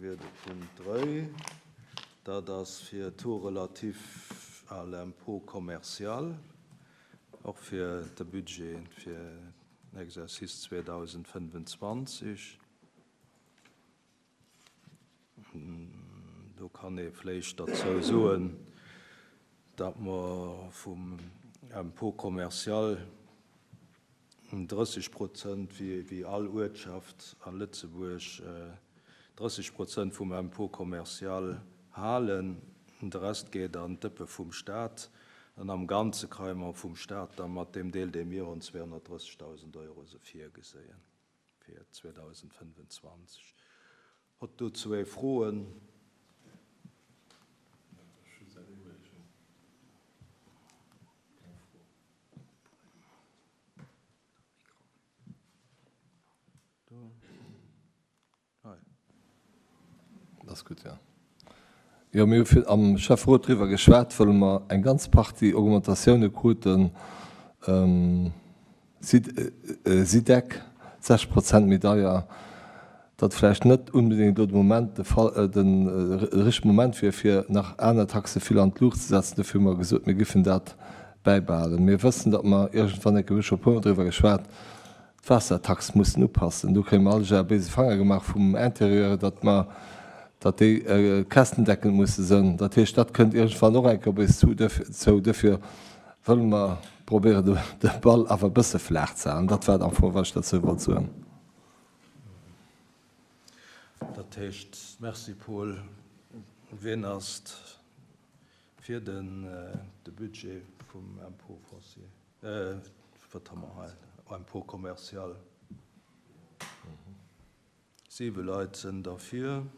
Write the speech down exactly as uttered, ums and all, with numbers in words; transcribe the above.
wier de Punkt dräi. Dat ass fir Taux relatif à l'impôt commercial, och fir de Budget fir den Exercice zweedausendfënnefenzwanzeg. Do kann ee vläicht derzou soen, datt mer vum Impôt commercial drësseg Prozent, wéi all Uertschaft a Lëtzebuerg, drësseg Prozent vum Impôt commercial halen. De Rest geet an d'Dëppe vum Staat. An am Ganze kréie mer vum Staat da mat deem Deel, dee mir hunn, zweehonnertdrëssegdausend Euro se virgeséien fir zweedausendfënnefenzwanzeg. Hott dozou ee Froen? Dat ass gutt, jo. Jo, mir hu am Schäfferot driwwer geschwat, wëll mer eng ganz Partie Augmentatioune kruten, SIDEC sechs Prozent méi deier, datt vläicht net unbedéngt elo de Moment de Fall, de richtege Moment wier, fir nach aner Taxe vill an d'Luucht ze setzen. Dofir hu mer gesot, mir giffen dat bäibehalen. Mir wëssen, datt mer iergendwann eng Kéier, mir hu scho e puermol driwwer geschwat, d'Waassertax mussen upassen. Do kréie mer all Jar béise Fanger gemaach vum Intérieur, datt mer, datt déi kästendeckend musse sënn. Dat heescht, dat kënnt iergendwann och eng Kéier op eis zu. Zou. Dofir wëlle mer probéieren, de Ball awer e bësse flaach ze halen. Dat war et am Fong, wat ech derzou wollt soen. Dat heescht, merci Paul. Wien ass fir de Budget vum Impôt foncier, wat hu mer hei, Impôt commercial? Siwe Leit sinn derfir.